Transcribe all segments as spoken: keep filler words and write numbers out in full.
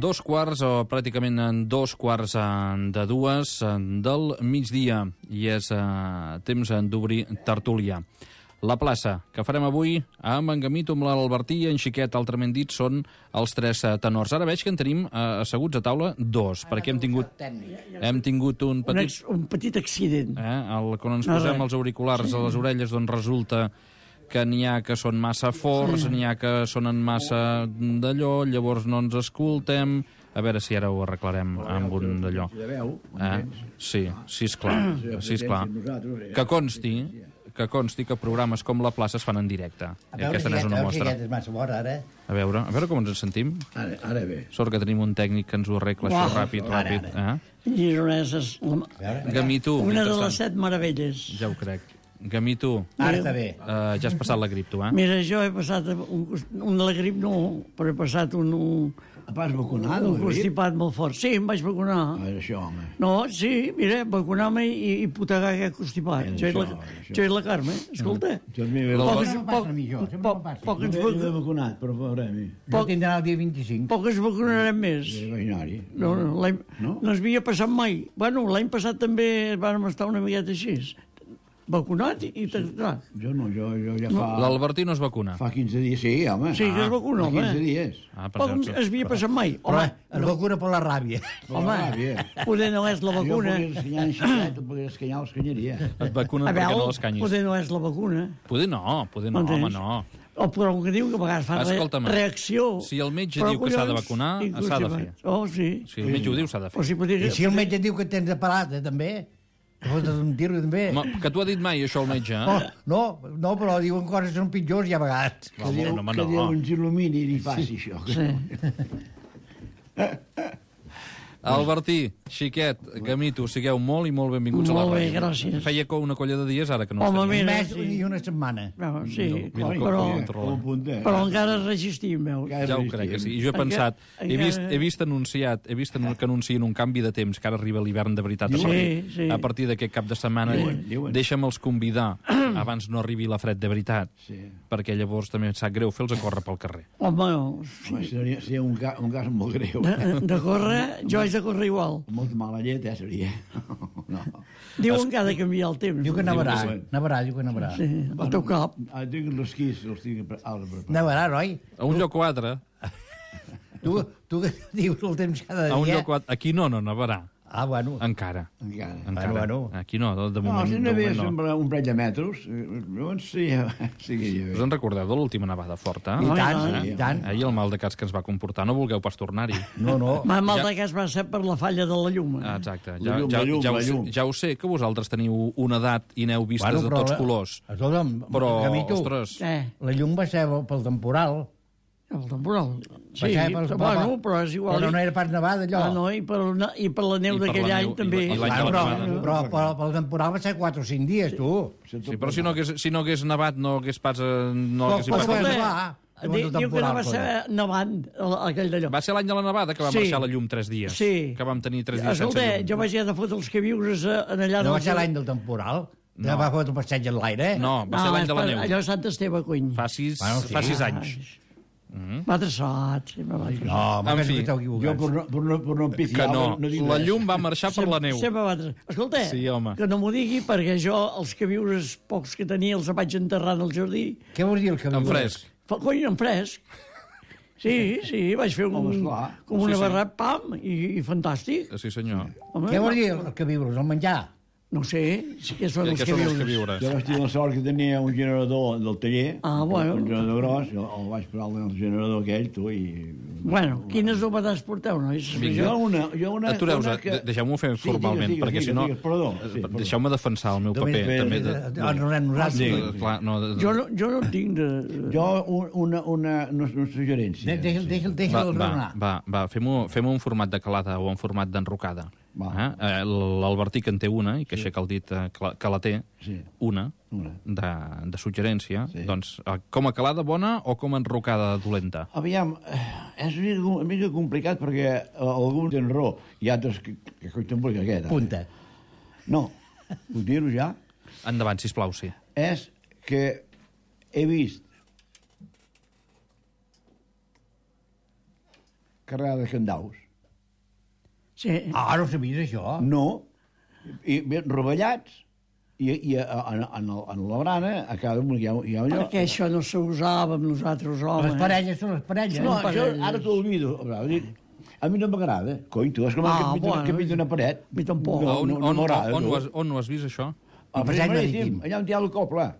Dos quarts, o pràcticament en dos quarts de dues del migdia, i és eh, temps d'obrir tertúlia. La plaça que farem avui amb en Gamito, amb l'Albertí i en Xiquet, altrament dit, són els tres tenors. Ara veig que en tenim eh, asseguts a taula dos, perquè hem tingut, hem tingut un petit... Un, ex, un petit accident. Eh, el, quan ens posem els auriculars a les orelles, doncs resulta que n'hi ha que són massa forts, n'hi ha que sonen massa d'allò, llavors no ens escoltem. A veure si ara ho arreglarem amb un d'allò. Eh? Sí, sí, esclar. Sí, esclar. Que consti, que consti que programes com La Plaça es fan en directe. A veure, Aquesta n'és una mostra. és massa fort, ara. A veure, a veure com ens en sentim. Ara, ara bé. Sort que tenim un tècnic que ens ho arregla Uau. això ràpid, ràpid. Eh? Gironeses. La... Gamito, Una de mentrestant. les set meravelles. Ja ho crec. Gamito, Ara està bé. uh, ja has passat la grip, tu, eh? Mira, jo he passat un, un de la grip, no, però he passat un, un, Pas vacunat, un el grip? constipat molt fort. Sí, em vaig vacunar. Ah, és això, home. No, sí, mira, vacunar-me i, i putegar aquest constipat. És Jo i la, això, és això. jo i la Carme, escolta. Jo m'he Poc, Sempre em passa a mi, això, sempre poc, em passa. poc, ens, he de vac- vacunat, però veurem. Jo Poc- tindrà el dia vint-i-cinc. poc ens vacunarem més. És imaginari. No, no, l'any- No? no ens havia passat mai. Bueno, l'any passat també vam estar una miqueta així. Vacunat i... i clar. Jo no, jo, jo ja fa... L'Albertí no es vacuna. Fa quinze dies, sí, home. Sí, que es vacuna, fa home. quinze dies. Ah, Poc ens perfecte. havia passat mai. Però Home, es vacuna per la ràbia. home, Ah, bé. poder no és la Jo vacuna. podia escanyar en xiquet, tu podies escanyar l'escanyaria. Et vacunen A perquè no veure, l'escanyis. poder no és la vacuna. Poder no, poder no, home, M'entens? no. O però que diu que a vegades fa re Escolta'm, reacció. si el metge Però, diu que s'ha de collons, vacunar, i s'ha de fer. constipat. Oh, sí. Si el metge ho diu, s'ha de O fer. si podria... I si el metge diu que tens de parat, eh, també? Que fotes un tiro, també? Home, que t'ho ha dit mai, això, el metge, No, eh? no, no, però diuen coses que són pitjors i a vegades. Que Home, Déu, no, home, que no. Déu ens il·lumini i faci això. Sí. Albertí, Xiquet, Gamito, sigueu molt i molt benvinguts a la Molt bé, ràdio. gràcies. Feia co- una colla de dies ara que no Home, els tenim. Un mira, mes sí. i una setmana. No, sí, mira, clar, com- però, com- Com un puntet. però encara resistim, veus? Encara Ja ho resistim. crec que sí. I jo he Encara- pensat, he encara- vist, he vist anunciat, he vist que anuncien un canvi de temps, que ara arriba l'hivern de veritat. A Sí, partir, sí. a partir d'aquest cap de setmana, Diuen, diuen. deixa'm-els convidar abans no arribi la fred de veritat, Sí. perquè llavors també em sap greu fer-los a córrer pel carrer. Home, no, Home, seria, seria un, ca, un cas molt greu. de, de córrer, jo haig de córrer igual. Molta mala llet, eh, seria. No. Diuen que ha de canviar el temps. Diu que nevarà, Diu que sí. nevarà, diu que nevarà. Sí, al teu cap. Ah, tinc els quis, els tinc pre- ara preparats. Nevarà, noi? A un lloc o altre, Tu, tu que dius el temps cada dia... a un lloc o altre, aquí no, no nevarà. Ah, bueno. Encara. Encara. Encara. bueno. Aquí no, de, de No, moment, si de no ve moment no. sempre un parell de metres, eh, llavors sí, sí, Us en recordeu de l'última nevada forta? I Ai, tant, ai. i tant. Ahir el mal de cas que ens va comportar, no vulgueu pas tornar-hi. No, no. Ma mal Ja- de cas va ser per la falla de la llum. Ah, exacte. La Ja, llum, ja, la llum, ja, ho la sé, llum. ja ho sé, que vosaltres teniu una edat i n'heu vistes de tots colors. Escolta'm, Però, Gamito, ostres, Eh, la llum va ser pel temporal. el temporal. Sí, Va ser pels- però, bueno, però és igual. Però no era pas nevada, allò. Ah, no, i per, la- i per la neu I per d'aquell la any neu, i també. la- i l'any Ah, de la però, nevada. però, però, pel temporal va ser quatre o cinc dies, tu. sí, però si no hagués, si no hagués nevat, no hagués pas... eh, No Però- hagués però pas va escolta, nevar. Di- Diu que no va ser nevant, el- aquell d'allò. Va ser l'any de la nevada que va Sí. marxar la llum tres dies. Sí. Que vam tenir tres dies Escolta, sense llum. jo vaig haver de fotre els queviures eh, en allà... No va dels- ser l'any del temporal? No. No. Va fotre un passeig en l'aire? No, va ser l'any de la és per- neu. Allò és Sant Esteve, cony. Fa sis, Bueno, sí. fa sis anys. M'ha traçat, sí, me va traçat. No, En m'ha fi, que esteu Jo equivocats. per no, per no, per no Que empifiar, no, no dic la res. llum va marxar per la neu. Sempre va traçat. Escolta, Sí, home. que no m'ho digui perquè jo els queviures pocs que tenia els vaig enterrar en el jardí. Què vols dir el que En fresc. Fa, cony, en fresc. Sí, sí, vaig fer un, Home, esclar. com Sí, una sí. barra, pam, i, i fantàstic. Sí, senyor. Home, Què no, vols dir el que viures, el menjar? no sé, sí que són Què els què són els queviures. queviures? Jo vaig tenir la sort que tenia un generador del taller, Ah, bueno. un generador gros, jo el vaig posar en el generador aquell, tu, i... Bueno, quines novetats porteu, nois? Vinga. Jo una... Jo una Atureu-vos, una que... de- deixeu-m'ho fer Sí, formalment, digues, perquè digues, si no... digues, perdó, sí, eh, perdó. Deixeu-me defensar el meu Només paper. bé, També bé, de, Eh, Ens anem nosaltres. Sí. de, clar, no, de, Jo no, jo no tinc de... Jo un- una, una, una, una suggerència. De- Deixa'l deixa'l- va, deixa'l va, raonar. va, va fem-ho fem un format de calada o un format d'enrocada. Va. Eh? Eh, L'Albertí que en té una, i que aixeca el dit eh, que la- que la té, Sí. una, Una. de, de suggerència, Sí. doncs eh, com a calada bona o com a enrocada dolenta? Aviam, eh, és una mica, una mica complicat perquè eh, alguns tenen raó i altres que, que coi tampoc aquest. eh? Punta. No, puc dir-ho ja? Endavant, sisplau, sí. És que he vist carregada de candaus. Sí. Ah, no sabies, això? No, i bé, rovellats, i, i a, a, en, el, en la brana, a cada un hi ha, hi ha allò... Perquè això no s'usava amb nosaltres, home. Les parelles són les parelles. No, Són això parelles. ara t'ho olvido. A mi no m'agrada. Cony, tu, és com Ah, el que pinta, bueno, que pinta una paret. a mi tampoc. No, on, no, no on, m'agrada. on, tu. ho has, on ho has vist, això? Al Passeig Passeig Marítim, Marítim. allà on hi ha el coble.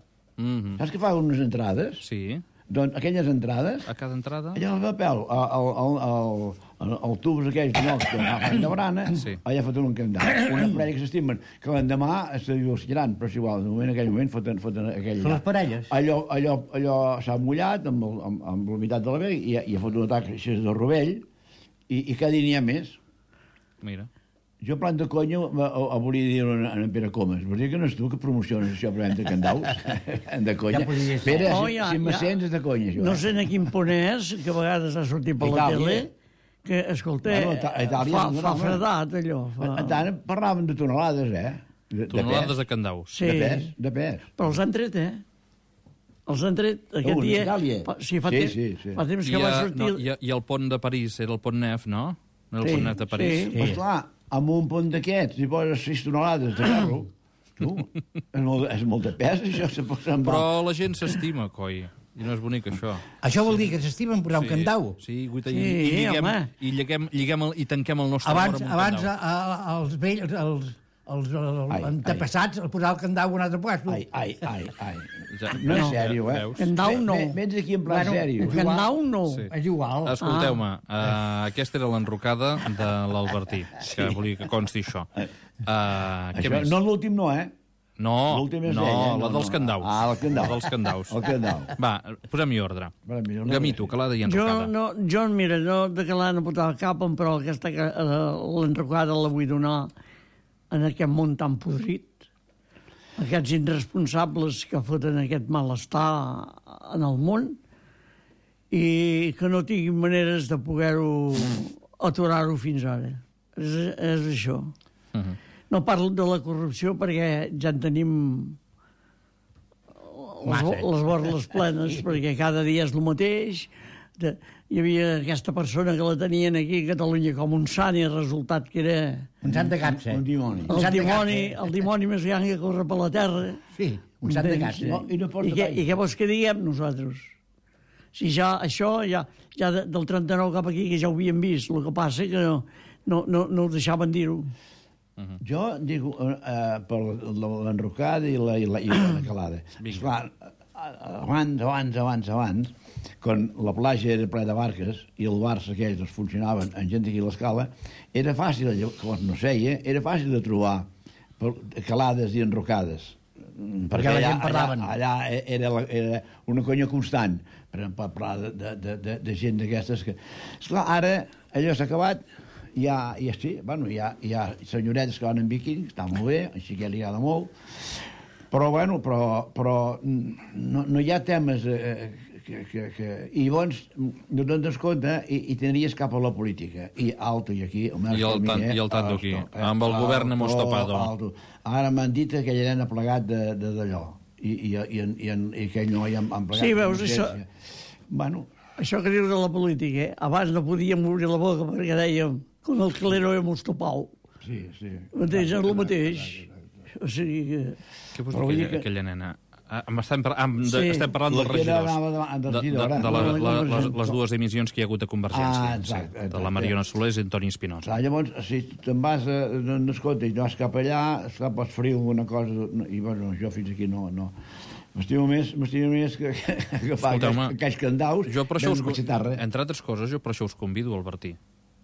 Mm -hmm. Saps que fa unes entrades? Sí, Doncs aquelles entrades, a cada entrada... allà al papel, el, el, el, el, el tubs aquells de nocs que fan de brana, Sí. allà foten un candau. Una parella que s'estimen, que l'endemà es divorciaran, però és igual, de moment, en aquell moment foten, foten aquell Són allà. les parelles. Allò, allò, allò s'ha mullat amb, el, amb, amb la meitat de la vega i, i ha fotut un atac així de rovell i, i cada dia n'hi ha més. Mira. Jo, plan de conya, volia dir en, en Pere Comas. Vols dir que no és tu que promociones això, però de candaus? de conya. Ja podria ser. Pere, Oh, si, ja, si me ja. sents, és de conya, això. No eh? sé a quin punt és, que a vegades ha sortit per la Itàlia. tele, que, escolta, Bueno, a Itàlia fa, no fa donava. fredat, allò. Fa... A, a tant, parlaven de tonelades, eh? De, Tonelades de de pes. candaus. Sí, De pes, de pes. però els han tret, eh? Els han tret aquest Uh, dia... Itàlia. fa- Sí, fa, Sí, temps, sí, sí. fa temps I, que va a, sortir... no, i, a, I el pont de París era el pont Nef, no? No era el Sí, pont Nef de París? sí. Pues clar, amb un pont d'aquests, si poses sis tonelades de ferro, tu, és molt, és molt de pes, això se posa en Però la gent s'estima, coi. I no és bonic, això. Això vol dir que s'estimen posar un candau. Sí, guita, i, Sí, i, lliguem, home. i, lliguem, lliguem el, i tanquem el nostre Abans, amor amb un abans candau. a, a, els vells, els, els, els, els Ai, antepassats, el posar el candau a un altre lloc. Ai, ai, ai, ai. Ja, No és ja, sèrio, eh? veus? Candau no. Ve- Vens aquí en plan Bueno, sèrio. un Candau no. Sí. És igual. Escolteu-me, uh, aquesta era l'enrocada de l'Albertí, que volia que consti això. Uh, què Això, més? no l'últim no, eh? No, L'últim és no, ell, eh? la No, dels no. candaus. Ah, el candau. La dels candaus. El candau. Va, posem-hi ordre. Vale, millor no Gamito, calada i Jo, enrocada. no, jo, mira, no de que l'han apuntat al cap, però aquesta, que, eh, l'enrocada la vull donar en aquest món tan podrit. Aquests irresponsables que foten aquest malestar en el món i que no tinguin maneres de poder-ho aturar-ho fins ara. És, és això. Uh -huh. No parlo de la corrupció perquè ja en tenim les, Massa. les borles plenes, perquè cada dia és el mateix. De, hi havia aquesta persona que la tenien aquí a Catalunya com un sant i el resultat que era Un sant de capsa. Un dimoni. el sant de dimoni, capsa. el dimoni més gran que corre per la terra. Sí, un sant de Entens? capsa. No, i no porta I, què, gaire. I què vols que diguem nosaltres? Si ja això, ja, ja de, del trenta-nou cap aquí, que ja ho havíem vist, el que passa que no, no, no, no ho deixaven dir-ho. Jo dic eh, per l'enrocada i la, i la, i la calada. Esclar, abans, abans, abans, abans, quan la platja era ple de barques i els bars aquells els funcionaven amb gent aquí a l'escala, era fàcil, quan no seia, era fàcil de trobar per- calades i enrocades. Perquè la allà, gent parlaven. allà, allà era, la, era una conya constant per parlar de, de, de, de, de gent d'aquestes que... Esclar, ara allò s'ha acabat, hi ha, hi ha, sí, bueno, hi ha, hi ha senyoretes que van en biquini, està molt bé, així que li agrada molt, però, bueno, però, però no, no hi ha temes eh, que, que, que... I llavors no te'n des compte i, i t'aniries cap a la política. I alto, i aquí... El I el tan- i el tanto aquí. Amb el govern hemos topado. Alto. Ara m'han dit que aquell nen ha plegat de- de- d'allò. I, i, i, i, i, i aquell noi han, han plegat. Sí, veus, de això- consciència. Bueno, Això que dius de la política, eh? Abans no podíem obrir la boca perquè dèiem con el clero hemos topado. sí, sí. Mateix, és el mateix. O sigui que... Què vols Però vull dir, dir aquella, que- aquella nena? Ah, estem, par am, de, Sí. estem parlant La dels que era regidors. anava davant del de, de, regidor, de, la, eh? la, les, No, les dues dimissions que hi ha hagut a Convergència. Ah, exacte, sí, de exacte. la Mariona Solés i Antoni Espinosa. Clar, llavors, si te'n vas a... No, no escolta, i vas cap allà, esclar, pots ferir alguna cosa, no, i bueno, jo fins aquí no... no. M'estimo més, m'estimo més que, que, que fa Escolteu-me, aquells, aquells candaus, Jo per això us, ben cachetarra. entre altres coses, jo per això us convido, Albertí,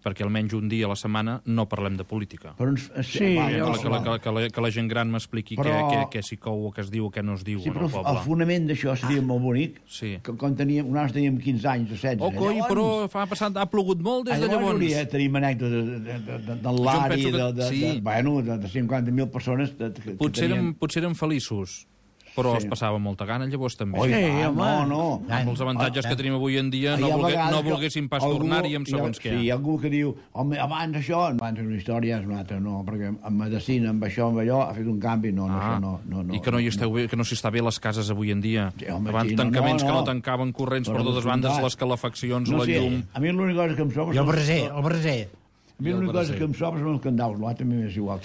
perquè almenys un dia a la setmana no parlem de política. Però ens, Sí, va, Que, ja la, ho que, la, que, la, que, la, que la gent gran m'expliqui Però- què, què, què s'hi cou, o què es diu, o què no es diu Sí, en però el el poble. fonament d'això seria molt bonic, Sí. que quan teníem, nosaltres teníem quinze anys o setze. Oh, coi, però fa passat, ha plogut molt des de Llavors llavors. hauria, tenim anècdotes de, de, de, de l'Ari, penso que- de, de, sí. de, bueno, de, de cinquanta mil persones. De, que Potser, tenien... érem, potser érem feliços. Però Sí. es passava molta gana, llavors també. Oi, Sí, va, home. no, no. Amb els avantatges Ah, que tenim avui en dia, no, Hi ha volgué, vegades no que volguéssim pas algú- tornar-hi amb hi ha- segons què. Sí, hi ha algú que diu, home, abans això, abans una història, és una altra, no, perquè en medicina, amb això, amb allò, ha fet un canvi, no, no, Ah, això no, no, no. I que no hi esteu bé, que no s'hi està bé a les cases avui en dia. Sí, home, Abans sí, no, tancaments no, que no no. tancaven corrents per Però totes descomptat. bandes, les calefaccions, No la sé, llum... a mi l'única cosa que em sobra... I el són- braser, el braser. A mi l'única cosa que em sobra són els candaus, l'altre m'és igual.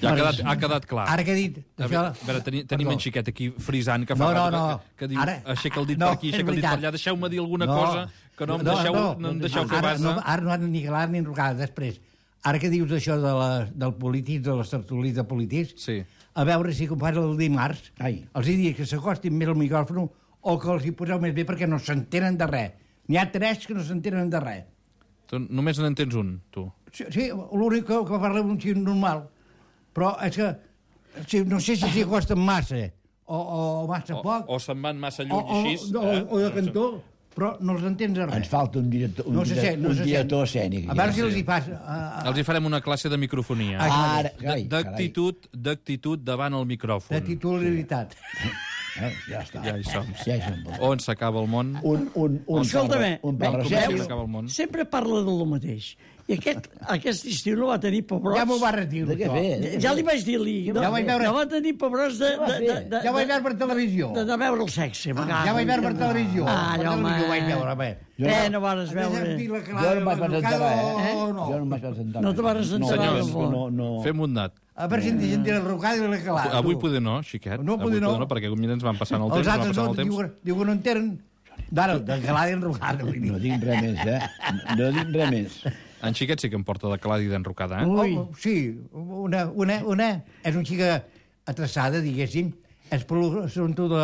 Ja ha quedat, ha quedat clar. Ara que he dit... A veure, a veure teni, tenim en Xiquet aquí frisant, que fa No, no, rato no. que, que diu, Ara- aixeca el dit no, per aquí, és aixeca el dit per veritat. allà, deixeu-me dir alguna cosa, que no em deixeu, no, em deixeu fer ara, base. no, ara no han ni calat ni enrocada. Després, ara que dius això de la, del polític, de les tertúlies de polítics, Sí. a veure si compara el dimarts, Ai. els hi dic que s'acostin més al micròfon o que els hi poseu més bé perquè no s'entenen de res. N'hi ha tres que no s'entenen de res. Tu només n'entens un, tu. Sí, sí l'únic que, que parla un xic normal, però és que sí, no sé si s'hi acosten massa o, o massa O, poc, o se'n van massa o, lluny o, així. o, eh? o de cantó, però no els entens de res. Ens falta un director, un, No se sent, no un se director sent. escènic. A veure si Sí. els hi fas... Uh, Els hi farem una classe de microfonia. Ah, Ara, De- carai, D'actitud d'actitud davant el micròfon. de titularitat. Eh, ja està. Ja hi som. Ja hi som. On s'acaba el món? Un, un, un, Escolta'm, un Com parra comença i serio. s'acaba el món? Sempre parla de lo mateix. I aquest, aquest estiu no va tenir pebrots. Ja m'ho va retirar, De què això. fer? Ja li vaig dir-li. No, Ja vaig veure- no va tenir pebrots de, de, de, de, Ja vaig veure per televisió. de, de veure el sexe. Ja vaig veure per televisió. Ah, per home. televisió vaig veure, home. Jo Eh, no- no vas Has veure. sentit la Jo clara no em vaig de presentar res, eh? o no? Jo no em vaig presentar No te vas res. presentar no, res, No, no, no. Fem un dat. A veure si en sentit la rocada i la calada. Avui tu. poder no, xiquet. No, Avui poder no. perquè mira, ens van passant el temps, Els ens van altres passant no, el temps. diu, diu que no entenen. D'ara, de calada i enrocada. vull dir. No dic res més, eh? No dic res més. En Xiquet sí que em porta de calada i d'enrocada, eh? Ui. Oh, sí, una, una, una és una xica atrasada, diguéssim, és per l'assumpte de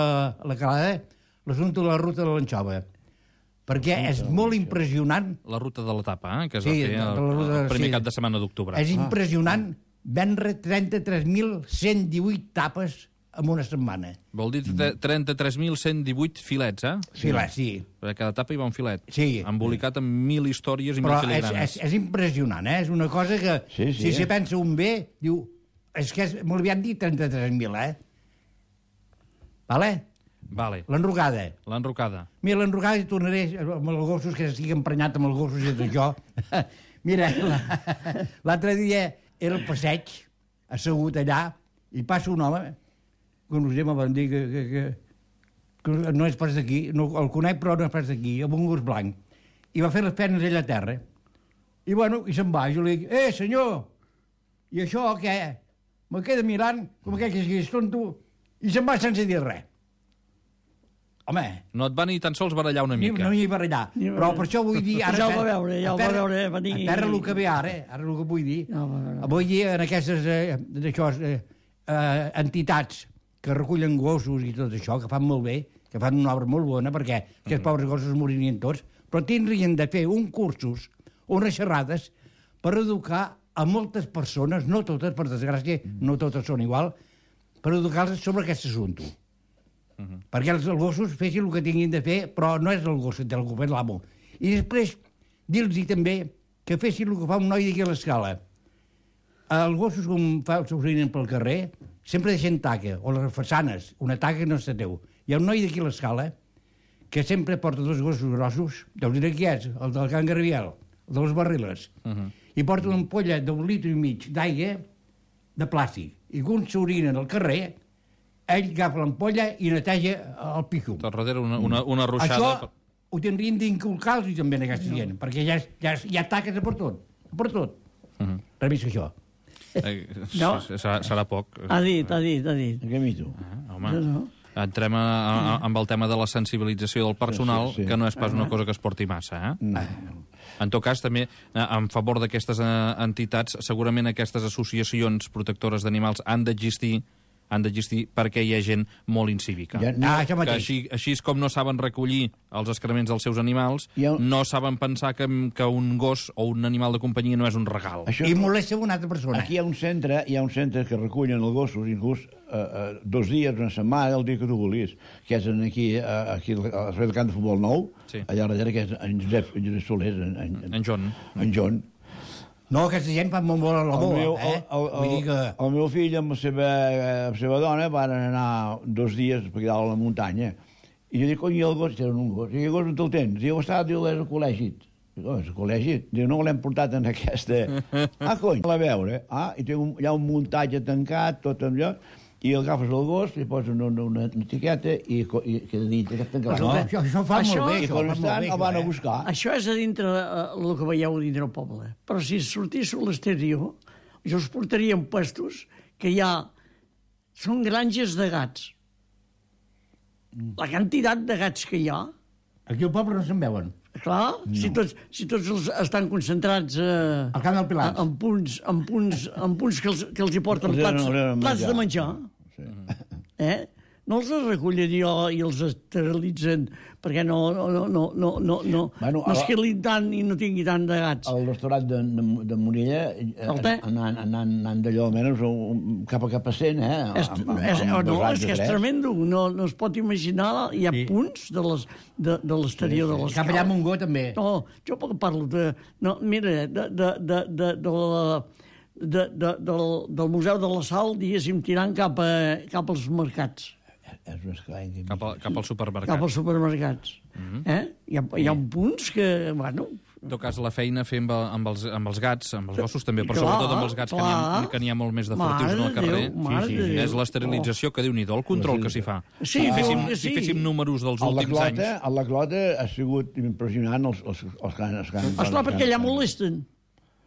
la calada, l'assumpte de la ruta de l'anxova. Perquè és molt impressionant, La ruta de l'etapa, eh? Que es Sí, va fer de la el, ruta, el primer sí. cap de setmana d'octubre. és impressionant vendre trenta-tres mil cent divuit tapes en una setmana. Vol dir tre- trenta-tres mil cent divuit filets, eh? Sí, la, sí. A cada etapa hi va un filet. Sí. Embolicat amb mil històries i mil Però és, filigranes. és, és impressionant, eh? És una cosa que, Sí, sí, si se eh? pensa un bé, diu, és que és, m'ho havien dit trenta-tres mil, eh? Vale? Vale. L'enrocada. L'enrocada. Mira, l'enrocada hi tornaré amb els gossos, que estic emprenyat amb els gossos i tot això. Mira, la- l'altre dia era al passeig, assegut allà, i passa un home, que no sé, me van dir que, que, que, que no és pas d'aquí, no, el conec però no és pas d'aquí, amb un gos blanc. I va fer les penes ell a terra. I bueno, i se'n va. Jo li dic, eh, senyor, i això què? Me queda mirant, com aquell que siguis tonto, i se'n va sense dir res. Home, No et va ni tan sols barallar una ni, mica. no hi barallar. Ni Però barallar. per això vull dir... Ara, Ja el va veure, ja el va a terra- veure venir. A terra el que ve ara, ara el que vull dir. Ja el va veure. Vull dir en aquestes eh, d'això, eh, eh, entitats que recullen gossos i tot això, que fan molt bé, que fan una obra molt bona, perquè aquests pobres gossos moririen tots, però tindrien de fer un cursos o unes xerrades per educar a moltes persones, no totes, per desgràcia, no totes són igual, per educar-los sobre aquest assumpte. Uh -huh. Perquè els, els gossos fessin el que tinguin de fer, però no és el gos que té el govern, l'amo. I després dir-los també que fessin el que fa un noi d'aquí a l'escala. Els gossos, com fa, s'orinen pel carrer, sempre deixen taca, o les façanes, una taca no se teu. Hi ha un noi d'aquí a l'escala que sempre porta dos gossos grossos, deus dir qui és, el del Can Garbiel, el de les barriles, uh -huh. i porta una ampolla d'un litre i mig d'aigua de plàstic. I quan s'orinen al carrer, ell agafa l'ampolla i neteja el picum. Tot darrere una, una, una ruixada... Això ho tindrien d'inculcar-los també a aquesta gent, perquè ja, ja, ja taques per tot, per tot. Uh -huh. Res més que això. Eh, No. serà, serà poc. Ha dit, ha dit, ha dit. En què mito? Ah, home, No, no. entrem a, a, amb el tema de la sensibilització del personal, Sí, sí, sí. que no és pas una cosa que es porti massa, eh? En tot cas, també, eh, en favor d'aquestes eh, entitats, segurament aquestes associacions protectores d'animals han d'existir han d'existir perquè hi ha gent molt incívica. Ja, Ah, això Que mateix. així, així és com no saben recollir els excrements dels seus animals, Hi ha un- no saben pensar que, que un gos o un animal de companyia no és un regal. Això I no- molesta una altra persona. Aquí hi ha un centre, hi ha un centre que recullen els gossos, inclús eh, eh, dos dies, una setmana, el dia que tu vulguis, que és en aquí, eh, aquí al servei del camp de futbol nou, Sí. allà darrere, que és en Josep, en Josep Solés, en, en, En John. en John. No, aquesta gent fa molt molt a la El meu, boa, eh? el, el, Vull dir que... el meu fill amb la seva, amb la seva dona van anar dos dies per allà a la muntanya. I jo dic, cony, el gos, era un gos. I el gos on te'l tens? Diu, està, diu, és al col·legi. Dic, oh, és al col·legi? Diu, no l'hem portat en aquesta... Ah, cony, a veure. Ah, i té un, hi ha un muntatge tancat, tot amb allò, i agafes el gos, li poses una, una, una etiqueta i, i queda dintre aquest tancat. No, això, això fa Això- molt bé, I això, quan fa estan, molt bé, el van a eh? buscar. Això és a dintre eh, el que veieu dintre el poble. Però si sortís a l'exterior, jo us portaria en puestos que hi ha... Són granges de gats. La quantitat de gats que hi ha, Aquí al poble no se'n veuen. clar, no. si, tots, si tots els estan concentrats eh, Al camp del Pilar. en punts, en punts, en punts que, els, que els hi porten Els plats, donen- els donen plats de menjar, Sí. eh? No els recullen i, i els esterilitzen perquè no, no, no, no, no, no, no, Bueno, no es a- quedin tant i no tingui tant de gats. Al restaurant de, de, de Morella, eh, El te? anant, anant, anant d'allò almenys un, cap a cap a cent, eh? És, Amb- amb- és, amb oh, no, dos anys és que de és tres. tremendo. No, no es pot imaginar. Hi ha Sí. punts de les- de, de l'exterior Sí, sí. de les Cap allà a Montgó, també. No, jo parlo de... No, mira, de, de, de, de, de la, de, de, del, del Museu de la Sal, diguéssim, tirant cap, a, cap als mercats, És un esclar. Cap, a, cap al supermercat. cap als supermercats. Mhm. eh? Hi, ha, hi ha punts que, bueno... En tot cas, la feina fer amb, amb, els, amb els gats, amb els gossos també, però Clar, sobretot amb els gats, que n'hi ha, clar. que n'hi ha molt més de Mare furtius no al de carrer. Déu, mare Sí, sí, de sí. Déu. És l'esterilització, que Déu-n'hi-do, el control que s'hi fa. Sí, si, féssim, que sí. si féssim números dels A la últims clota, anys... a la clota ha sigut impressionant els, els, els que han... Els que han Esclar, perquè allà els que han- molesten.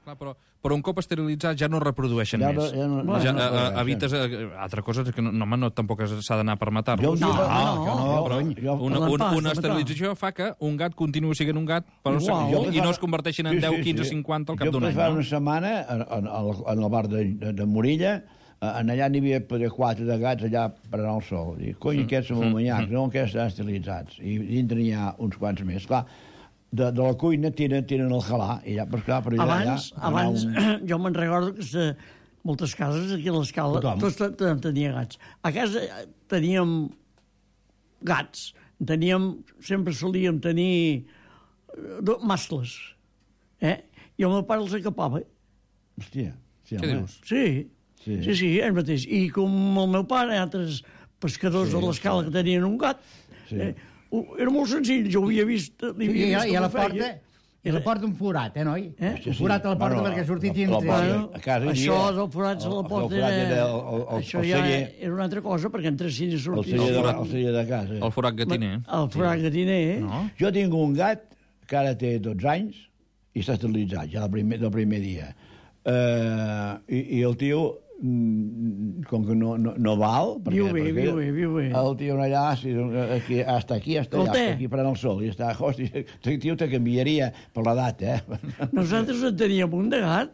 Clar, però, però un cop esterilitzats ja no reprodueixen Ja no- més. ja no- ja, ja no eh, reprodueixen. evites... Eh, altra cosa és que no, no, home, no tampoc s'ha d'anar per Jo matar-los. un dia- No, no, no, jo Però jo- una, Parlant una, pas, una de esterilització fa que un gat continuï sent un gat però Igual. i, Jo i no pensava- es converteixin en Sí, deu, sí, quinze, sí. cinquanta al cap d'un Jo any. fa No? una setmana, en, en, el- en el bar de, de, de Morella, eh, en allà n'hi havia poder quatre de gats allà per anar al sol. Dic, cony, aquests són molt manyacs, no? Aquests estan estilitzats. I dintre n'hi ha uns quants més. Clar, de, de la cuina tiren, tiren el halà, i ja, però clar, per allà... Abans, allà, abans un... jo me'n recordo que de moltes cases aquí a l'escala, Tothom. tots te- te- tenia gats. A casa eh, teníem gats, teníem, sempre solíem tenir eh, do- mascles, eh? I el meu pare els acapava. Hòstia, sí, Què home. dius? Sí, Sí. sí, sí, sí, ell mateix. I com el meu pare i altres pescadors Sí, de l'escala sí. que tenien un gat, Sí. eh, ho- era molt senzill, jo ho havia vist, Sí, havia i, vist i a com la ho feia. porta... I a la porta un forat, eh, noi? Eh? Un forat a la porta Bueno, perquè sortit la- dintre. la porta- Bueno, a casa hi això havia- dels forats a la el- porta el forat era el- el- el- això el ja celler. era una altra cosa, perquè entressin i El sortissin. celler, de, forat. el celler de casa. El forat gatiner. El forat gatiner, eh? No? Jo tinc un gat que ara té dotze anys i està esterilitzat, ja del primer, del primer dia. Uh, i, I el tio, mm, com que no, no, no val... Viu bé, viu bé, viu bé. El tio allà, sí, aquí, hasta aquí, hasta allà, El té. hasta aquí prenent el sol. I està, hòstia, el tio te canviaria per l'edat, eh? Nosaltres en teníem un de gat,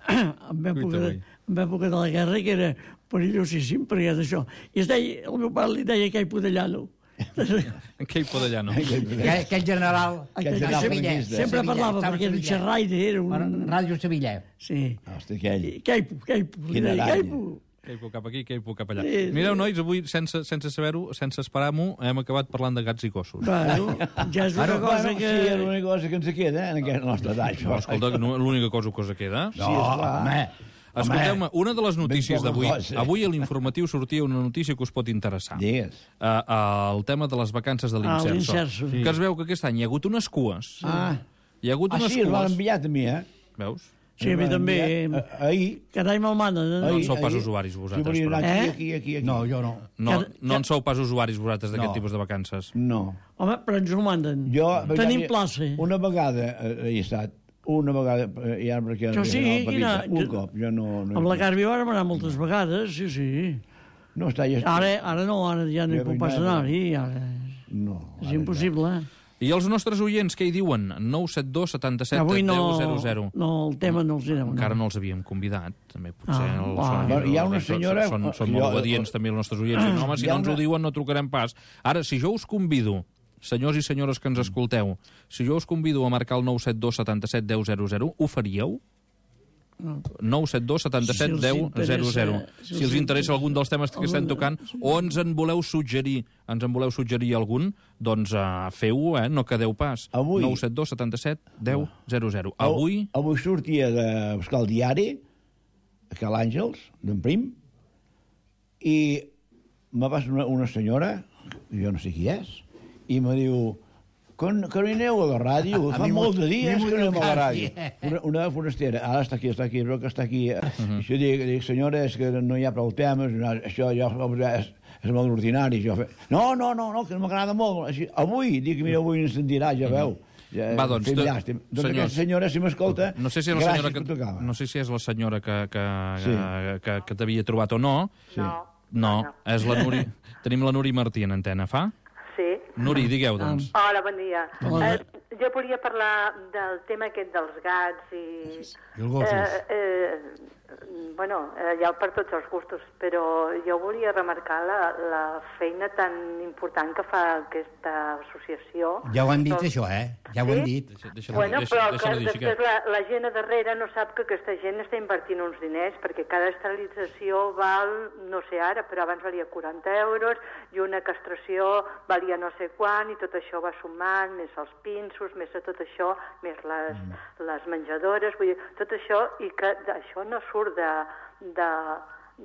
en època, de, en època de la guerra, que era perillosíssim, perquè d'això. I es deia, el meu pare li deia que hi podellano. Què hi pot allà, no? Aquell, aquell general... Aquell de general Sevilla, franquista. Sempre Sevilla, parlava, estava a perquè era un Sevilla. xerraire, era un... Ràdio Sevilla. Sí. Hosti, aquell. Queipo, queipo. li Quina deia, aranya. queipo. Que hi puc cap aquí, que hi puc cap allà. Sí, sí. Mireu, nois, avui, sense, sense saber-ho, sense esperar-m'ho, hem acabat parlant de gats i gossos. Bueno, ja és una Bueno, cosa bueno, que... sí, és l'única cosa que ens queda, eh, en aquesta nostra edat. No, escolta, que no- l'única cosa que us queda... Sí, esclar. home. Escolteu-me, una de les notícies poca d'avui... cosa. Avui a l'informatiu sortia una notícia que us pot interessar. Digues. Uh, uh, el tema de les vacances de Ah, l'Inserso. l'Inserso. Que es veu que aquest any hi ha hagut unes cues. Ah, Hi ha hagut ah unes sí, el van cues... enviar a mi, eh? Veus? Sí, a mi també. Eh, Ahir. Carai, me'l manen. No en Eh? sou pas usuaris, vosaltres, Sí, volia anar però. aquí, Eh? aquí, aquí, aquí. No, jo no. No, Cada- no en sou pas usuaris, vosaltres, d'aquest No. tipus de vacances. No. Home, però ens ho manden. Jo, Tenim plaça. Una vegada eh, hi he estat. Una vegada, eh, ja perquè... Jo sí, no, quina... Un cop, jo no... no Amb la Carvi vàrem anar moltes vegades, sí, sí. No està... Ja, Ara, ara no, ara ja no hi Jo puc vinc pas ara. anar-hi, ara No. és ara impossible. I els nostres oients, què hi diuen? nou set dos setanta set Avui no, deu zero zero. no, el tema no els hi deu. Encara no els havíem convidat, també potser Ah, els va. són, Bueno, hi ha una senyora- són, són jo- molt obedients també els nostres oients. Diuen, home, si Hi ha no ens ho una- diuen no trucarem pas. Ara, si jo us convido, senyors i senyores que ens escolteu, si jo us convido a marcar el nou set dos setanta set deu zero zero, ho faríeu? nou set dos setanta-set deu zero zero. Si els interessa algun dels temes que estem tocant, o ens en voleu suggerir, ens en voleu suggerir algun, doncs uh, feu-ho, eh? No quedeu pas. Avui... nou set dos setanta-set deu zero zero. Avui... Avui sortia de buscar el diari, a Cal Àngels, d'en Prim, i me va una, una senyora, jo no sé qui és, i me diu... Que, que no hi aneu a la ràdio? A, a Fa molt de dies mi que no anem a la ràdio. eh? Una, una forastera, ara està aquí, està aquí, però que està aquí. Uh-huh. Jo dic, dic, senyora, és que no hi ha prou temes, no, això ja és, és molt ordinari. Jo fe... No, no, no, no, que m'agrada molt. Així, avui, dic, mira, avui ens sentirà, ja veu. Ja, va, doncs, fem llàstim. Doncs aquesta senyora, si m'escolta, no sé si és la senyora que, no sé si és la senyora que, que, sí. que, que, que t'havia trobat o no. Sí. No. No, és la Nuri... Tenim la Nuri Martí en antena, fa? Sí. Nuri, digueu, doncs. Hola, bon dia. Hola. Eh, jo volia parlar del tema aquest dels gats i... I els gossos. Eh, eh, bueno, eh, hi ha per tots els gustos, però jo volia remarcar la, la feina tan important que fa aquesta associació. Ja ho han dit, Doncs... això, eh? Ja ho sí? han dit. Deixa, deixa, Bueno, deixa, però deixa que dir, després la, la gent a darrere no sap que aquesta gent està invertint uns diners, perquè cada esterilització val, no sé ara, però abans valia quaranta euros, i una castració valia no sé quant, i tot això va sumant, més els pinços, més tot això, més les, mm. les menjadores, vull dir, tot això, i que això no surt de, de,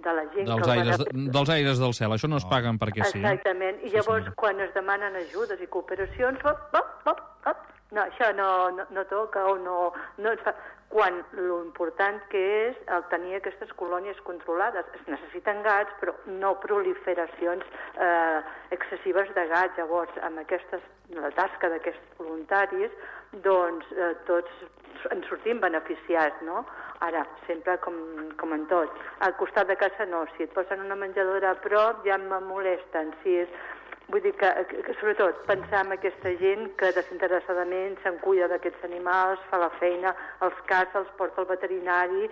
de la gent... Dels que aires, va... dels aires del cel, això no es paguen perquè sí. Exactament, i llavors sí, quan es demanen ajudes i cooperacions, hop, hop, hop, hop, no, això no, no, no toca o no, no es fa... Quan l'important que és el tenir aquestes colònies controlades. Es necessiten gats, però no proliferacions eh, excessives de gats. Llavors, amb aquestes, la tasca d'aquests voluntaris, doncs eh, tots en sortim beneficiats, no? Ara, sempre com, com en tot. Al costat de casa no, si et posen una menjadora a prop ja me molesten. Si és... Vull dir que, que, que, sobretot, pensar en aquesta gent que desinteressadament se'n cuida d'aquests animals, fa la feina, els caça, els porta al veterinari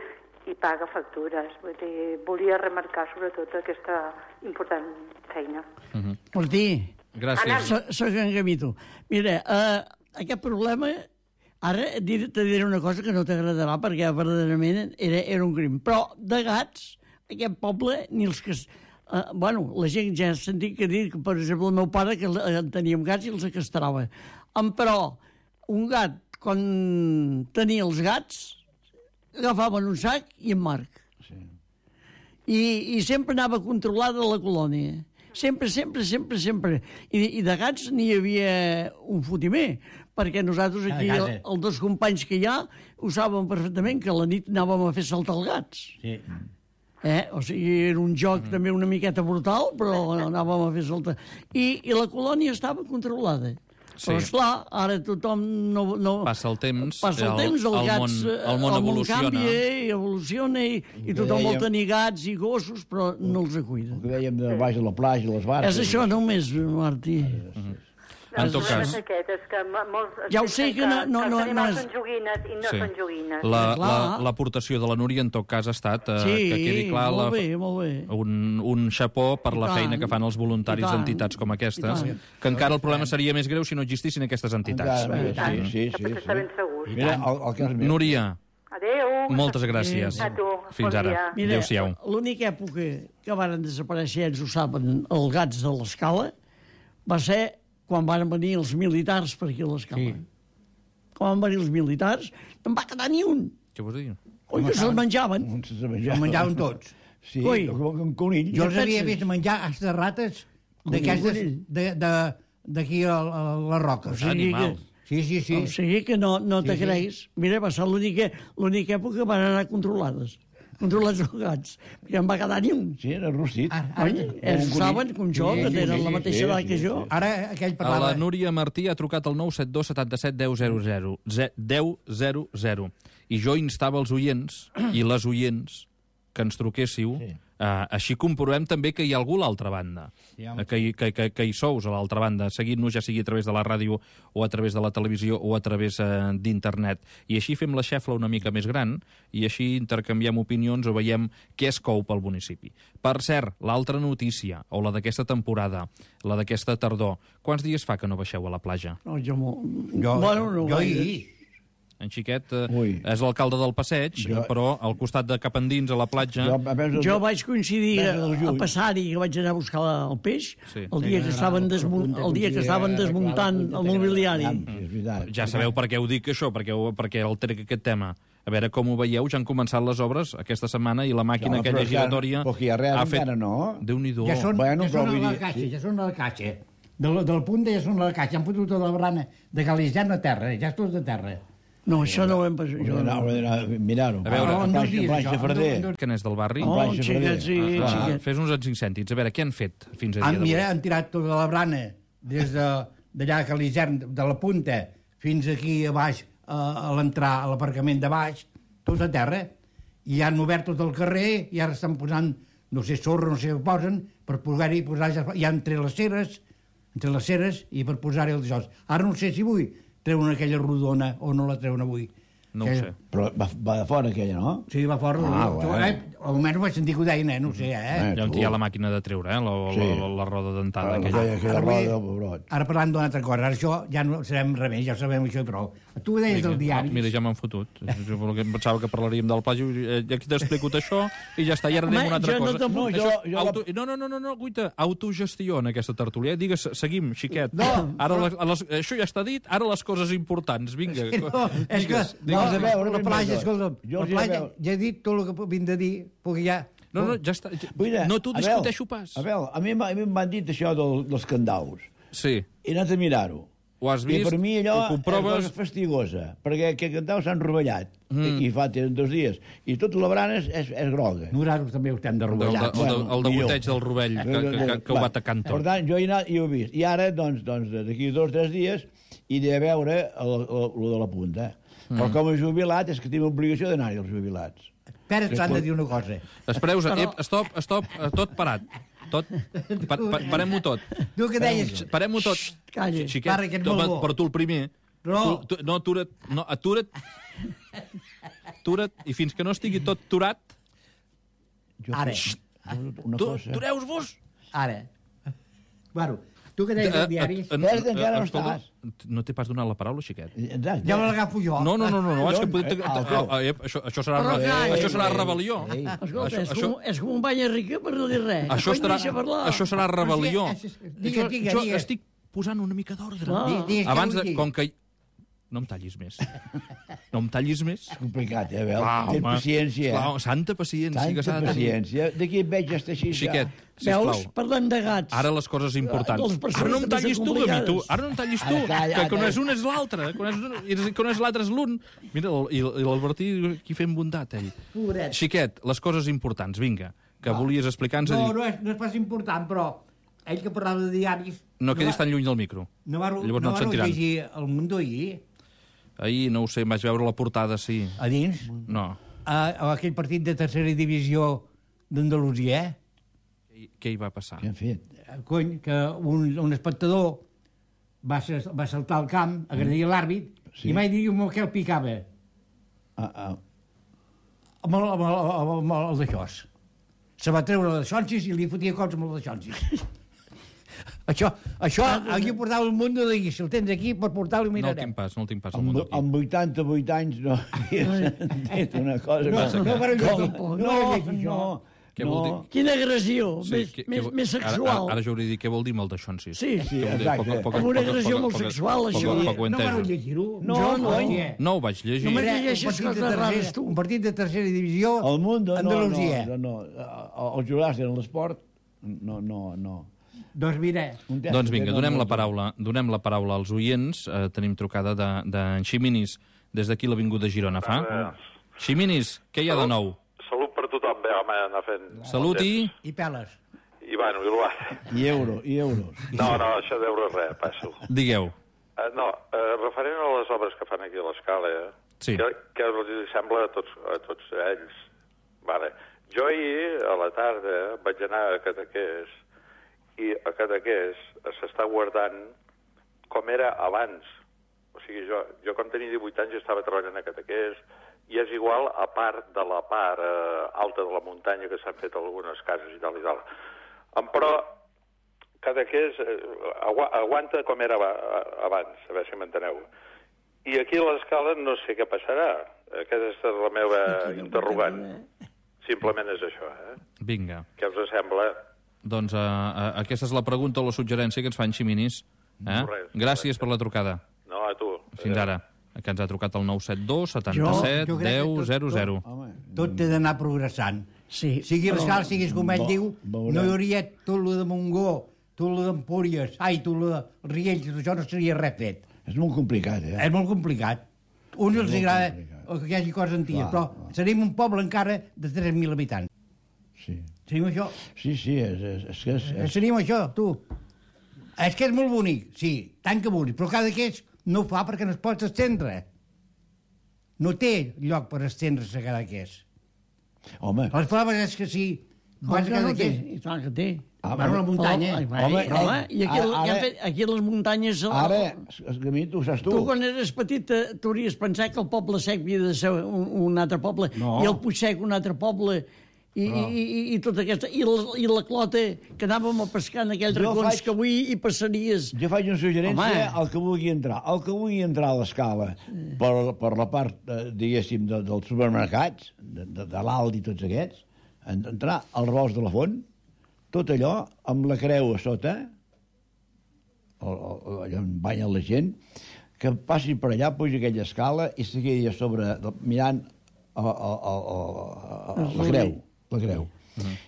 i paga factures. Vull dir, volia remarcar, sobretot, aquesta important feina. Uh-huh. Martí. Gràcies. So, soc en Gamito. Mira, uh, aquest problema... Ara te diré una cosa que no t'agradarà perquè verdaderament era, era un crim. Però de gats, aquest poble, ni els que... Uh, bueno, la gent ja ha sentit que dir que, per exemple, el meu pare, que uh, teníem gats i els castrava. Um, però un gat, quan tenia els gats, agafaven un sac i en Marc. Sí. I, I sempre anava controlada la colònia. Sempre, sempre, sempre, sempre. I, i de gats n'hi havia un fotimer, perquè nosaltres aquí, el, els dos companys que hi ha, ho saben perfectament, que a la nit anàvem a fer saltar els gats. Sí. Eh? O sigui, era un joc mm. també una miqueta brutal, però anàvem a fer saltar. I, i la colònia estava controlada. Sí. Però, esclar, ara tothom no... no passa el temps, passa el, el temps, els el gats... Món, el món el evoluciona. Món canvia i evoluciona, i, i tothom vol tenir gats i gossos, però no els cuida. El que dèiem de baix a la platja, les barques... És això només, Martí. Mm-hmm. En tot cas... Aquest, que molts ja ho sé que no... no, no, els no animals és... són joguines i no sí. són joguines. L'aportació la, la, de la Núria, en tot cas, ha estat eh, sí, que quedi clar molt la, bé, molt bé. Un, un xapó per I la tant, feina que fan els voluntaris d'entitats com aquestes, que encara el problema seria més greu si no existissin aquestes entitats. Encara, sí, sí, sí, sí, sí. Segur. Mira, el, el cas meu. Núria, adéu. Moltes gràcies. A tu. Fins bon ara. Adéu-siau. L'única època que varen desaparèixer, ells ho saben, els gats de l'Escala, va ser quan van venir els militars per aquí a l'Escala. Sí. Quan van venir els militars, no en va quedar ni un. Què vols dir? Coi, que se'ls menjaven. Se'ls menjaven. Se'ls menjaven tots. Sí, Coi. com un conill. Jo els havia vist menjar hasta rates d'aquestes d'aquí a, a les roques. O sigui que, sí, sí, sí. o sigui que no, no te Sí, sí. creguis. Mira, va ser l'única l'única època que van anar controlades. Controlats els gats. Perquè en va quedar ni un. Sí, era rostit. Ara, Oi? Ells un saben, com jo, Sí, que sí, tenen sí, la mateixa sí, edat sí, que sí. jo. Ara aquell A parlava... la Núria Martí ha trucat al nou set dos setanta set deu zero zero. deu zero zero. I jo instava els oients i les oients que ens truquéssiu. Sí. Uh, així comprovem també que hi ha algú a l'altra banda, Sí, uh, que, hi, que, que, que hi sous a l'altra banda, seguint-nos ja sigui a través de la ràdio o a través de la televisió o a través uh, d'internet. I així fem la xefla una mica més gran i així intercanviem opinions o veiem què es cou pel municipi. Per cert, l'altra notícia, o la d'aquesta temporada, la d'aquesta tardor, quants dies fa que no baixeu a la platja? No, jo, mo... Jo, bueno, no jo gaire. ahir... En Xiquet eh, Ui. és l'alcalde del Passeig, Jo- però al costat de cap endins, a la platja... Jo, a veure, Jo vaig coincidir Mes a, del a juny. passar-hi, que vaig anar a buscar el peix, Sí. el dia que estaven, desmun el dia que estaven desmuntant el mobiliari. Sí, és veritat. Ja sabeu per què ho dic, això, perquè, ho, perquè el trec aquest tema. A veure com ho veieu, ja han començat les obres aquesta setmana i la màquina No, aquella però encara- giratòria... però que hi ha res ha fet... encara no. Déu-n'hi-do. Ja són, Bueno, ja però són a vull la dir- caixa, sí. ja són a la caixa. Del, del punt ja són a la caixa. Han fotut tota la brana de Galitzant a terra, ja és tot de terra. No, això no ho hem passat. Hauré Jo d'anar- no. hauré d'anar a mirar-ho. A veure, Ah, en dos planxa- dies, planxa això, Ferrer. en dos- Que n'és del barri? Oh, Planxa xiquet, Ferrer. sí, Ah, va, xiquet. fes uns cinc cèntims. A veure, què han fet fins a dia Han, d'avui? mira, han tirat tota la brana des de d'allà a Galitzant, de la punta, fins aquí a baix, a, a l'entrar a l'aparcament de baix, tot a terra, i han obert tot el carrer, i ara estan posant, no sé, sorra, no sé què posen, per posar-hi, posar ja entre les ceres, entre les ceres, i per posar-hi els jocs. Ara no sé si vull treuen aquella rodona o no la treuen avui. No ho Que- sé. Però va, va de fora aquella, no? Sí, va fora. Ah, Jo, bueno. eh, almenys vaig sentir que ho deien, eh? No ho sé, eh? Eh, Ja on tu. hi ha la màquina de treure, eh? La, la, Sí. la, la roda dentada. Ah, aquella. aquella, aquella Ara vull- roda, pebrot. Ara parlant d'una altra cosa, ara això ja no serem remei, ja sabem això i prou. Tu ho deies del diari. Mira, ja m'han fotut. Jo em pensava que parlaríem del plagi, i aquí t'explico això, i ja està, i ara anem a Home, una altra jo no cosa. t'apunto. No, jo- Això, jo- auto... no, no, no, no, no, guaita, autogestió en aquesta tertúlia. Digues, seguim, xiquet. No, ara les, a les, això ja està dit, ara les coses importants, vinga. No, és que Digues, no, digues a veure, la ben platja, bé, escolta'm, jo la els hi platja, veu. ja he dit tot el que vinc de dir, perquè ja... No, no, ja està. Ja, Vull dir, no t'ho Abel, discuteixo pas. Abel, a mi, m'ha- a mi m'han dit això del, dels candaus. Sí, He anat a mirar-ho. ho has I vist, per mi allò ho és comproves... cosa fastigosa, perquè aquests candaus s'han rovellat. Mm. I fa tenen dos dies. I tota la brana és, és, és groga. Nosaltres també ho estem de El, de, rovellar. el, de, el de millor. goteig del rovell, que, que, que, que ho va tacant Per tot. tant, jo he anat i ho he vist. I ara, doncs, doncs d'aquí dos o tres dies, he de veure el, el, el de la punta. Mm. Però com a jubilat és que tinc obligació d'anar-hi als jubilats. Espera, t'han de dir una cosa. Espereu, ep, stop, stop, tot parat. Tot, pa, pa, parem-ho tot. Tu que deies... Parem-ho tot. Calla. Xiquet, Para, que ets tu, molt bo. però tu el primer. No. Tu, tu, no, atura't, no, atura't. Atura't, i fins que no estigui tot turat, Jo, Ara. Una tu, cosa... tureu-vos. Ara. Bueno, tu que deies del diari... Ves, encara no escolta, estàs. No t'he pas donat la paraula, xiquet. Exacte. Ja me l'agafo jo. No, no, no, no, no és que D'on? podem... Ah, Ah, ah, ep, això, això serà, Però re- calla. això serà Ei, rebel·lió. ei. Escolta, Això- és, això- com, és com un banya rica per no dir res. Això, Quan estarà, deixa parlar. això serà rebel·lió. Però sí, és- digues, Jo- digues, jo digues. estic posant una mica d'ordre. Clar. Di- digues què Abans vull de... dir. Com que... No em tallis més. No em tallis més. És complicat, eh, Abel? Clar, Tens home. paciència. Clar, santa paciència que s'ha Tanta de tenir. paciència. D'aquí et veig ja està així. Xiquet, Veus? sisplau. Parlant de gats. Ara les coses De importants. les persones Ara no em també tallis són tu, a mi, tu. complicades. Ara no em tallis tu, Ara calla, que quan ara. és un és l'altre. Quan és, un- i quan és l'altre és l'un. Mira, el- i i l'Albertí aquí fent bondat, ell. Pobret. Xiquet, les coses importants, vinga, que volies explicar-nos. No, No, no és, no és pas important, però ell que parlava de diaris... no quedis va- tan lluny del micro. No va, Llavors no no et va sentiran. llegir El Mundo ahir, Ahir, no ho sé, em vaig veure la portada, sí. a dins, No. a, a aquell partit de tercera divisió d'Andalusia, eh? Què hi va passar? Què han fet? Cony, que un, un espectador va, sa- va saltar al camp, agredir l'àrbit, Sí. i mai diu amb què el picava, Ah, ah. amb el, amb el, amb el, amb el d'això. Se va treure les xonsis i li fotia cops amb el de xonsis. Això, això, aquí portava el mundo d'ahir. Si el tens aquí, per portar-lo No el mirarem. tinc pas, no el tinc pas al Amb, mundo aquí. amb vuitanta-vuit anys no havia sentit una cosa... No, que- no, però jo Com? tampoc, no no, he llegit això. no, Què vol dir? Quina agressió, Sí, més, què- més, què vol- més Ara, sexual. ara, ara jo hauria de dir què vol dir amb el d'aixonsis. Sí, Sí, Què vol dir? exacte. Poc- poc- Com una poc- agressió poc- molt poc- sexual, poc- això. poc ho he No vareu entès. llegir-ho? No, Jo no. hòstia. No ho vaig llegir. Només Era llegeixes un partit de coses rares, tercera- tu. Un partit de tercera divisió El mundo, no, no, Andalusia. no, no. Els jubilats en l'esport, no, no, no. Doncs mira, Un test Doncs que vinga, no- donem no- la paraula, donem la paraula als oients. Eh, tenim trucada d'en de, d'en Ximinis, des d'aquí l'Avinguda Girona, fa? Ximinis, què hi ha de nou? Salut per tothom, bé, home, anar fent... Salut i... i peles. I, bueno, i l'Uar. I euro, i euros. No, no, això d'euros res, passo. Digueu. Uh, no, uh, referent a les obres que fan aquí a l'escala, eh? Sí. Què, què els sembla a tots, a tots ells? Vale. Jo ahir, a la tarda, vaig anar a Cadaqués, i a Cadaqués s'està guardant com era abans. O sigui, jo, jo quan tenia divuit anys estava treballant a Cadaqués, i és igual a part de la part eh, alta de la muntanya que s'han fet algunes cases i tal i tal. Em, però Cadaqués eh, agu aguanta com era aba abans, a veure si m'enteneu. I aquí a l'escala no sé què passarà. Aquesta és la meva interrogant. Simplement és això, eh? Vinga. Què us sembla? Doncs uh, uh, aquesta és la pregunta o la suggerència que ens fan Ximinis. Eh? Res, Gràcies res. per la trucada. No, a tu. Fins ara. Que ens ha trucat el nou set dos setanta-set Jo- jo crec que deu tot- zero zero. Tot té d'anar progressant. Sí, Sigui però- l'escala, siguis com ell Ve- diu, veurem. no hi hauria tot lo de Montgó, tot lo d'Empúries, ai, tot lo de Riells, tot això no seria res fet. És molt complicat, eh? És molt complicat. Uns els molt agrada complicat. que hi hagi coses antigues, Clar, però clar. seríem un poble encara de tres mil habitants. Sí, Seríem això. sí, sí és, és, és que és, és, Seríem això, tu. És que és molt bonic, sí, tant que bonic, però cada que és no ho fa perquè no es pot estendre. No té lloc per estendre's a cada que és. home, Les proves és que si Com vas a que cada no té? que és... I tant que té. Ah, Bueno, la muntanya. Home, Home, home, home, eh, i aquí, ara- ara, han fet, aquí a les muntanyes... ara, és que a mi tu ho saps tu. Tu, quan eres petit, eh, t'hauries pensat que el poble sec havia de ser un, un altre poble, No. i el Puigsec un altre poble, i, i, i, i tota aquesta... I la, I la clota, que anàvem a pescar en aquells Jo racons faig- que avui hi passaries... Jo faig una suggerència Home. al que vulgui entrar. El que vulgui entrar a l'escala per, per la part, eh, diguéssim, de, dels supermercats, de, de, de l'Aldi i tots aquests, en- entrar al Ros de la Font, tot allò, amb la creu a sota, el, el, allò on banya la gent, que passi per allà, pugi aquella escala i se quedi a sobre, mirant a, a, a, a, a, la creu, la creu.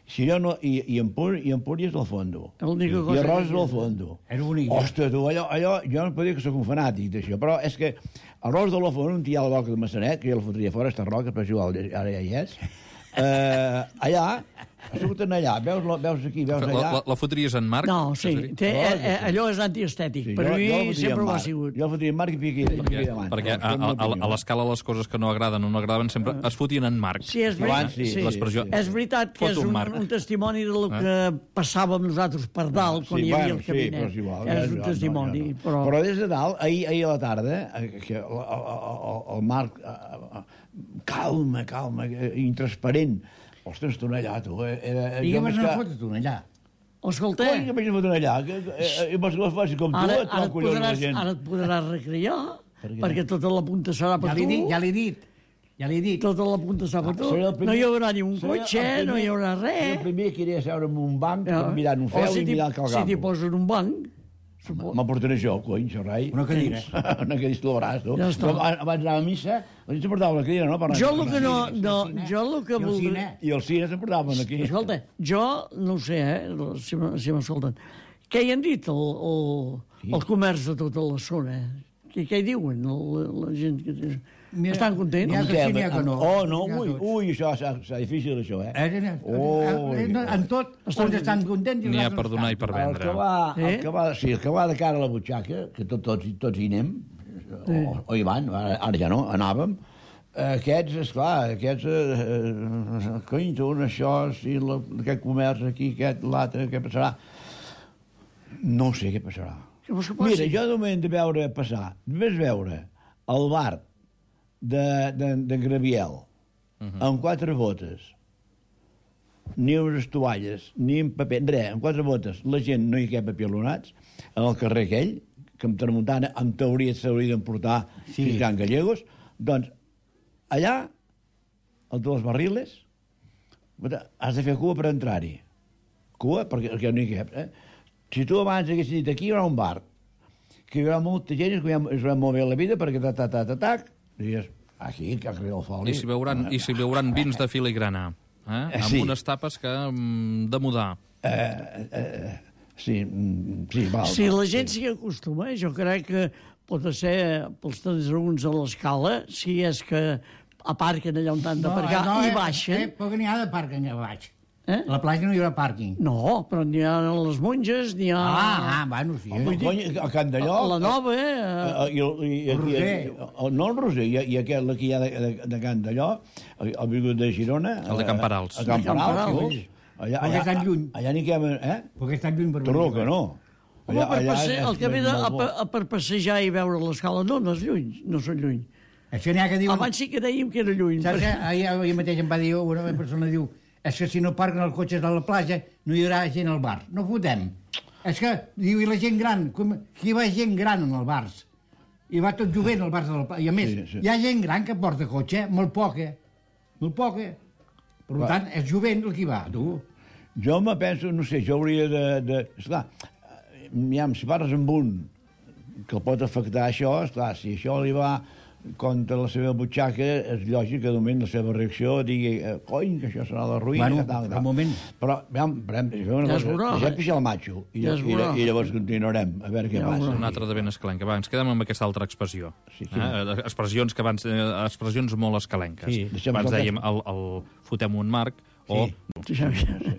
Si jo no... I, i, Empúries, i Empúries al fondo. L'única I cosa Arròs que- al fondo. És bonic. Ostres, tu, allò, allò, jo no podria que sóc un fanàtic d'això, però és que Arròs de la Font, on hi ha la roca de Massanet, que jo la fotria fora, aquesta roca, però és igual, ara ja hi és, eh, allà, surten allà, veus, la- veus aquí, veus La, allà... la, la fotries en Marc? No, sí, té, Oh, eh, eh, allò és antiestètic, Sí, per jo- mi jo la fotria sempre en ho ha Marc. sigut. Jo la fotria en Marc i piqui, i piqui davant. Perquè a, a, a, a l'escala les coses que no agraden o no agradaven sempre es fotien en Marc. Sí, és Abans veritat, sí, sí. l'expressió. És veritat que Foto és un un, Marc. un testimoni del que passàvem nosaltres per dalt, quan Sí, hi havia bueno, el sí, però cabinet. és igual. és no, un no, testimoni, no, no. però... Però des de dalt, ahir, ahir a la tarda, eh, que el, el, el, el Marc, eh, eh, calma, calma, eh, intransparent. Ostres, tu allà, tu. eh, Era, I què jo vas més anar a que- fotre tu allà? Escolta, Coi, que vaig fotre allà? Que, que, eh, eh, vols que la faci com tu, ara, et ara, fa et collons la podràs, gent. ara et podràs recrear, Per què? perquè tota la punta serà per Ja l'he tu. dit, ja l'he dit. Ja l'he dit. Tota la punta serà per tu. Seré el primer- No hi haurà ni un seré el cotxe, primer- no hi haurà seré El res. primer que iré a seure en un banc, Ja. mirant un O feu si i t'hi- mirant el Si t'hi campo. posen un banc, suposo. M'aportaré jo, cony, xerrai. Una cadira. Una cadira al braç, tu. Ja està. Jo, abans d'anar a missa, la gent s'emportava la cadira, no? Per anar- Jo per el que anar- no... no jo el que I el voldria... cine. I els cines s'emportaven aquí. Escolta, jo no ho sé, eh, si m- si m'escolten. Què hi han dit el, el, Sí. el comerç de tota la zona? Què, què hi diuen la, la gent? Que... Mira, Estan contents? n'hi ha que sí, n'hi ha que no. Oh, no, N'hi ha ui, tots. ui, això serà, serà difícil, això, eh? Eh, eh, Oh, eh, no, en tot, uns estan contents i N'hi ha els per altres donar i estan. per El vendre. que va, el Eh? que va, sí, el que va de cara a la butxaca, que tot, tots, tots hi anem, o, o hi van, ara, ara ja no, anàvem, eh, aquests, esclar, aquests, eh, eh, cony, tu, això, sí, la, aquest comerç aquí, aquest, l'altre, què passarà? No sé què passarà. Què vols que passi? Mira, jo de moment de veure passar, només veure el bar de, de, de Graviel, uh -huh. amb quatre botes, ni unes tovalles, ni en paper, res, amb quatre botes, la gent no hi cap apilonats, en el carrer aquell, que en Tramuntana, en teoria, s'hauria d'emportar Sí. sí. Can Gallegos, doncs, allà, el de les barriles, has de fer cua per entrar-hi. Cua, perquè, perquè no hi cap, eh? Si tu abans haguessis dit aquí hi haurà un bar, que hi haurà molta gent, es veurà, es veurà molt bé la vida, perquè ta, ta, ta, ta, tac, diries, aquí, que carrer del Foli. I si veuran, i si veuran vins de filigrana, eh? amb Sí. unes tapes que mm, de mudar. Eh, eh, sí, mm, sí, val. Si val, la gent sí. s'hi acostuma, jo crec que pot ser pels transeunts a l'escala, si és que aparquen allà on han d'aparcar no, no, i eh, baixen. Eh, però n'hi ha de pàrquing a baix. Eh? A la platja no hi haurà pàrquing. No, però n'hi ha les monges, n'hi ha... Ah, ah, bueno, sí. Home, Eh? cony, a Can d'Allò... La nova, eh? Eh, i, el, i, El aquí, Roser. el, no el Roser, i, i aquest que hi ha de, de, de Can d'Allò, el, el vingut de Girona... El de Camperals. A Camperals, Camperals. sí. Allà, Perquè estan lluny. Allà n'hi queda... Eh? Perquè està lluny per Torró, que no. Home, per passe... és- el que ve és de, molt a, bo. pa- a, per passejar i veure l'escala, no, no és lluny, no són lluny. Això n'hi ha que diuen... Abans sí que dèiem que era lluny. Saps què? perquè- Ahir, ahir mateix em va dir una persona, diu, és que si no parquen els cotxes a la platja no hi haurà gent al bar. No fotem. És que, diu, i la gent gran, com, qui va gent gran en els bars? i va tot jovent al Barça del Pla. I a més, Sí, sí. hi ha gent gran que porta cotxe, molt poca, molt poca. Per Va. tant, és jovent el que va, tu. Jo me penso, no sé, jo hauria de... de esclar, ja, si parles amb un que el pot afectar això, esclar, si això li va contra la seva butxaca, és lògic que de moment la seva reacció digui eh, cony, que això serà la ruïna, Bueno, que tal, que per tal. moment. Però, veiem, veiem, una Ja es cosa, veurà. deixem pixar el matxo i, Ja es i, i, veurà. i llavors continuarem a veure què Ja passa. veurà. Una altra de ben escalenca. Va, ens quedem amb aquesta altra expressió. Sí, sí. Eh? Expressions que abans, eh, expressions molt escalenques. Sí. Deixem Abans tocar- dèiem el, el fotem un marc o Sí.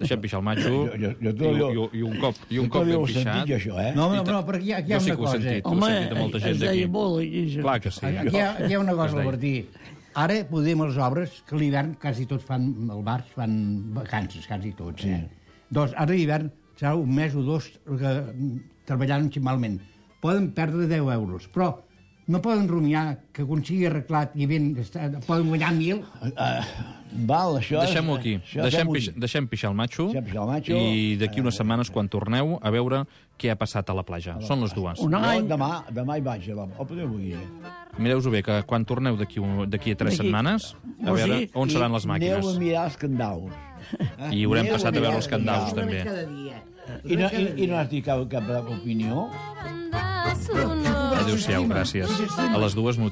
deixem pixar el matxo Jo- jo- jo te i, diu- i, i un cop, i un Jo cop també ben ho he sentit, pixat. jo, això, eh? No, I no, ta- no, perquè hi ha, aquí hi ha Jo sí una que ho he cosa. sentit. Ho he Home, sentit a molta gent es d'aquí. deia molt aquí. això. Clar que sí. Aquí hi ha, aquí hi ha una Es cosa, deia. Bertí. Ara podem les obres, que a l'hivern quasi tots fan, al bar fan vacances, quasi tots. Eh? Doncs ara l'hivern serà un mes o dos que, treballant ximalment. Poden perdre deu euros, però no poden rumiar que quan sigui arreglat i ben, poden guanyar mil. Uh, val, això... és- Deixem-ho aquí. això Deixem, fem-ho pix, aquí. deixem pixar el matxo, Deixem pixar el matxo. i d'aquí unes setmanes, quan torneu, a veure què ha passat a la platja. Són les dues. Un Jo any. demà, demà hi vaig, o podeu avui. Mireu-vos bé, que quan torneu d'aquí un- d'aquí a tres D'aquí- setmanes, a O veure sigui, on seran les Aneu a màquines. mirar els candaus. I haurem Aneu passat a mirar veure els candaus, candaus. també. Cada dia. I no, i, i no has dit cap, cap opinió? Adéu-siau, gràcies. A les dues notícies.